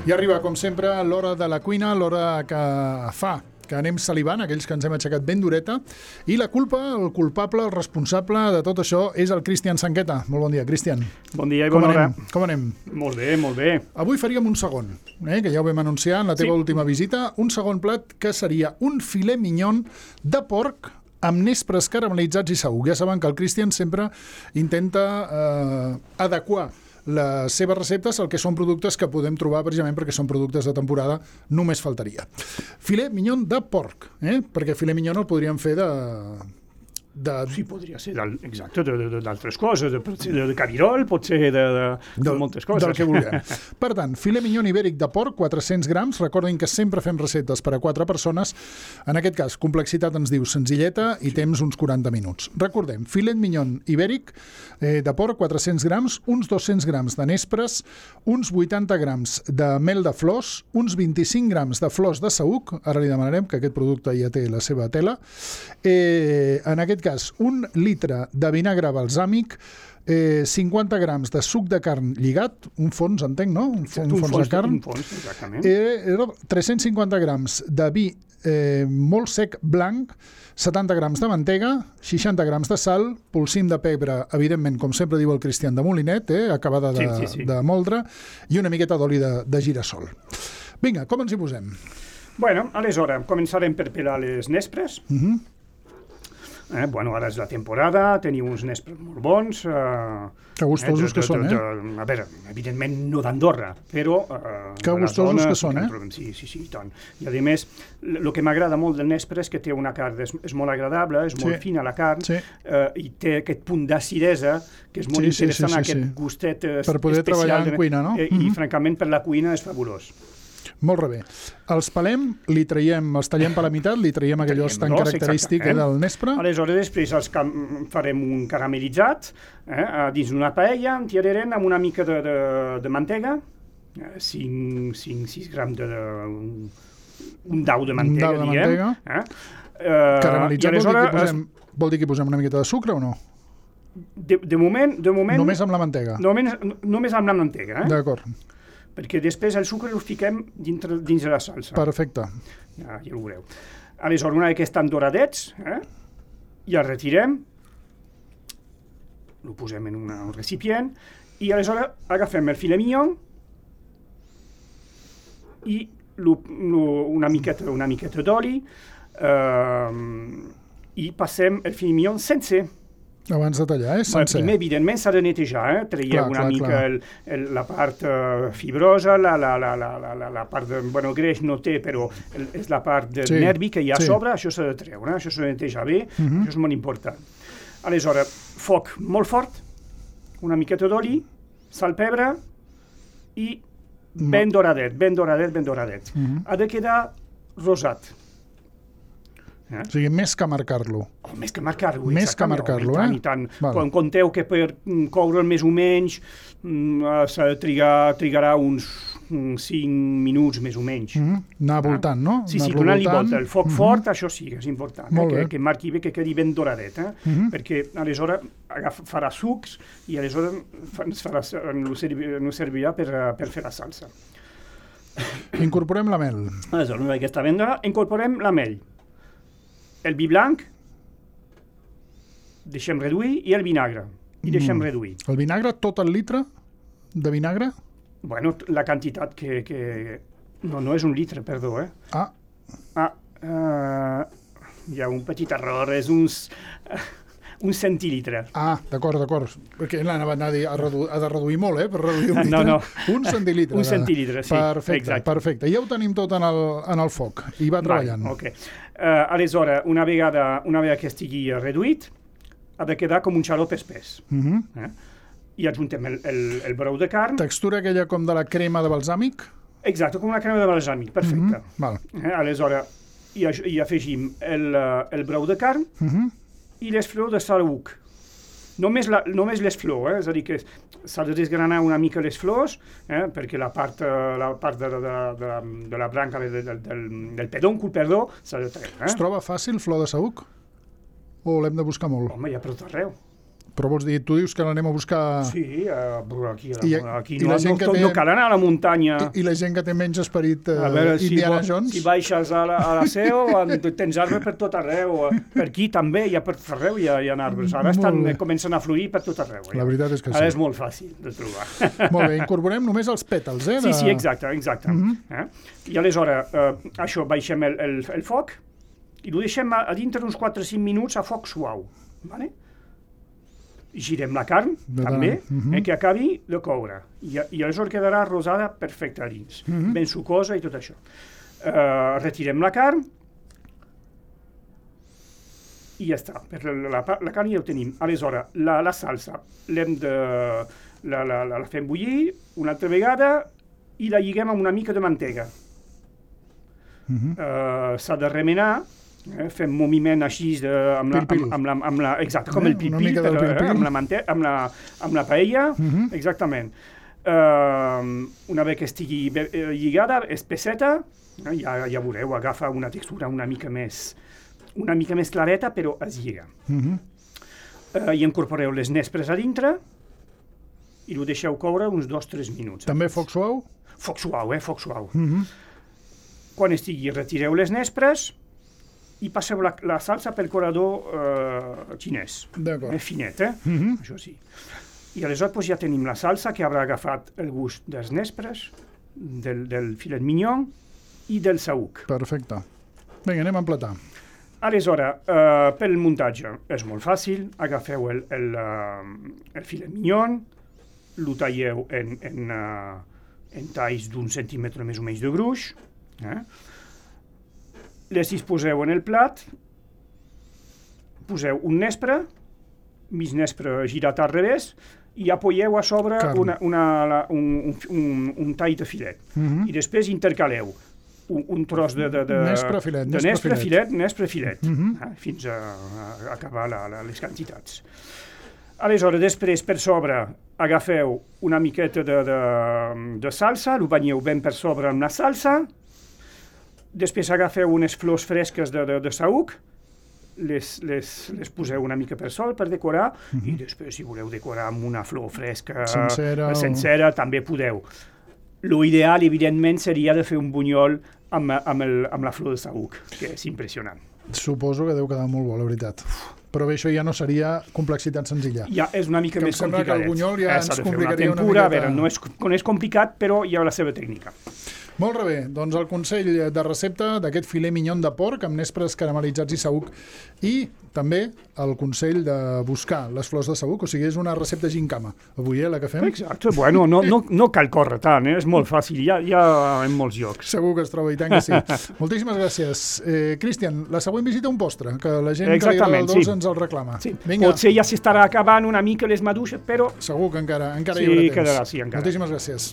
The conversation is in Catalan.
I arriba, com sempre, l'hora de la cuina, l'hora que fa que anem salivant, aquells que ens hem aixecat ben dureta, i la culpa, el culpable, el responsable de tot això és el Cristian Sanqueta. Molt bon dia, Cristian. Bon dia i bona hora. Com anem? Molt bé, molt bé. Avui faríem un segon, que ja ho vam anunciar en la teva última visita, un segon plat que seria un filet mignon de porc amb nespres caramelitzats i saüc. Ja saben que el Cristian sempre intenta adequar les seves receptes al que són productes que podem trobar precisament perquè són productes de temporada, només faltaria. Filet mignon de porc, perquè filet mignon el podríem fer Sí, podria ser d'altres coses, de cabirol, pot ser de moltes coses. Del que vulguem. Per tant, filet mignon ibèric de porc, 400 grams. Recordin que sempre fem receptes per a 4 persones. En aquest cas, complexitat ens diu senzilleta i temps uns 40 minuts. Recordem, filet mignon ibèric de porc, 400 grams, uns 200 grams de nespres, uns 80 grams de mel de flors, uns 25 grams de flors de saüc, ara li demanarem que aquest producte ja té la seva tela, en aquest cas, 1 litre de vinagre balsàmic, 50 grams de suc de carn lligat, un fons, entenc, no? Un fons de carn. Un fons, exactament. 350 grams de vi molt sec blanc, 70 grams de mantega, 60 grams de sal, polsim de pebre, evidentment, com sempre diu el Cristian, de molinet, acabada de moldre, i una miqueta d'oli de girassol. Vinga, com ens hi posem? Bueno, aleshores, començarem per pelar les nespres. Bueno, ara és la temporada, teniu uns nespres molt bons. Que gustosos que són, A veure, evidentment no d'Andorra, però... Que gustosos que són, Sí, i tant. I a més, el que m'agrada molt del nespre és que té una carn, és molt agradable, és molt fina la carn, i té aquest punt d'acidesa, que és molt interessant, aquest gustet especial. Per poder treballar en cuina, no? I, francament, per la cuina és fabulós. Molt bé. Els pelem, els tallem per la meitat, li traiem aquell os tan característic del nespre. Aleshores, després farem un caramelitzat dins una paella, en tirarem amb una mica de mantega, 6 grams un dau de mantega, diguem. Caramelitzat vol dir que hi posem una miqueta de sucre o no? De moment... Només amb la mantega? Només amb la mantega. D'acord. Perquè després el sucre el fiquem dins de la salsa. Perfecte. Ja ho veureu. Aleshores, una vegada que estan doradets, ja el retirem, el posem en un recipient, i aleshores agafem el filet mignon i una miqueta d'oli i passem el filet mignon sencer. Abans de tallar, sencer. Primer, evidentment, s'ha de netejar, traiem una mica la part fibrosa, la part de, greix no té, però és la part de nervi que hi ha a sobre, això s'ha de treure, això s'ha de netejar bé, això és molt important. Aleshores, foc molt fort, una miqueta d'oli, sal, pebre, i ben doradet. Ha de quedar rosat. O sigui, més que marcar-lo. Més que marcar-lo, i tant. Quan compteu que per coure'l més o menys trigarà uns 5 minuts més o menys. Anar voltant, no? Sí, donant-li volta. El foc fort, això sí, és important, que marqui bé, que quedi ben doradet, perquè aleshores farà sucs i aleshores no servirà per fer la salsa. Incorporem la mel. Aleshores, una vegada que està ben dorat, incorporem la mel. El vi blanc, deixem reduir, i el vinagre, i deixem reduir. El vinagre, tot el litre de vinagre? Bueno, la quantitat que... No és un litre, perdó, hi ha un petit error, és un centilitre. D'acord, perquè l'anava a dir, ha de reduir molt, per reduir un litre. No. Un centilitre. Un centilitre, sí. Perfecte. Ja ho tenim tot en el foc, i va treballant. Ok. Aleshores, una vegada que estigui reduït, ha de quedar com un xarop espès. I adjuntem el brou de carn. Textura aquella com de la crema de balsàmic? Exacte, com una crema de balsàmic, perfecte. Aleshores, hi afegim el brou de carn i les flors de saüc. Només les flors, és a dir, que s'ha de desgranar una mica les flors, perquè la part de la branca del pedòncul, s'ha de treure. Es troba fàcil flor de saüc? O l'hem de buscar molt? Home, hi ha per tot arreu. Però vols dir, tu dius que l'anem a buscar... Sí, aquí no cal anar a la muntanya. I la gent que té menys esperit Indiana Jones? Si baixes a la seu, tens arbres per tot arreu. Per aquí també, per arreu hi ha arbres. Ara comencen a florir per tot arreu. La veritat és que sí. Ara és molt fàcil de trobar. Molt bé, incorporem només els pètals, Sí, exacte. I aleshores, això, baixem el foc i ho deixem a dintre uns 4 o 5 minuts a foc suau. Vale? Girem la carn, també, que acabi de coure. I aleshores quedarà rosada perfecta a dins, ben sucosa i tot això. Retirem la carn i ja està. La carn ja ho tenim. Aleshores, la salsa la fem bullir una altra vegada i la lliguem amb una mica de mantega. S'ha de remenar. Fem moviment així exacte, com el pil-pil, amb la paella, exactament. Una vegada que estigui lligada, espesseta, ja veureu, agafa una textura una mica més clareta, però es lliga. I incorporeu les nespres a dintre i ho deixeu coure uns 2-3 minuts. També foc suau? Foc suau. Quan estigui, retireu les nespres i passeu la salsa pel colador xinès. Finet, això sí. I aleshores ja tenim la salsa que haurà agafat el gust dels nespres, del filet mignon i del saüc. Perfecte. Vinga, anem a emplatar. Aleshores, pel muntatge és molt fàcil. Agafeu el filet mignon, lo talleu en talls d'un centímetre més o menys de gruix, les disposeu en el plat, poseu un nespre, mig nespre girat al revés, i apoyeu a sobre un tall de filet. I després intercaleu un tros de nespre filet, fins a acabar les quantitats. Aleshores, després per sobre agafeu una miqueta de salsa, ho banyeu ben per sobre amb la salsa. Després agafeu unes flors fresques de saüc, les poseu una mica per sol per decorar, i després si voleu decorar amb una flor fresca sencera també podeu. L'ideal, evidentment, seria de fer un bunyol amb la flor de saüc, que és impressionant. Suposo que deu quedar molt bo, la veritat. Però bé, això ja no seria complexitat senzilla. Ja és una mica més complicat. Que el bunyol ja ens complicaria una miqueta. A veure, no és complicat, però hi ha la seva tècnica. Molt bé, doncs el consell de recepta d'aquest filet mignon de porc amb nespres caramelitzats i saüc, i també el consell de buscar les flors de saüc, o sigui, és una recepta gincama. Avui, la que fem? Exacte, bueno, no cal córrer tant, és molt fàcil, ja en molts llocs. Segur que es troba, i tant que sí. Moltíssimes gràcies. Cristian, la següent visita un postre, que la gent que li agrada el dolç ens el reclama. Potser ja s'estarà acabant una mica les maduixes, però... Segur que encara hi haurà temps. Sí, encara. Moltíssimes gràcies.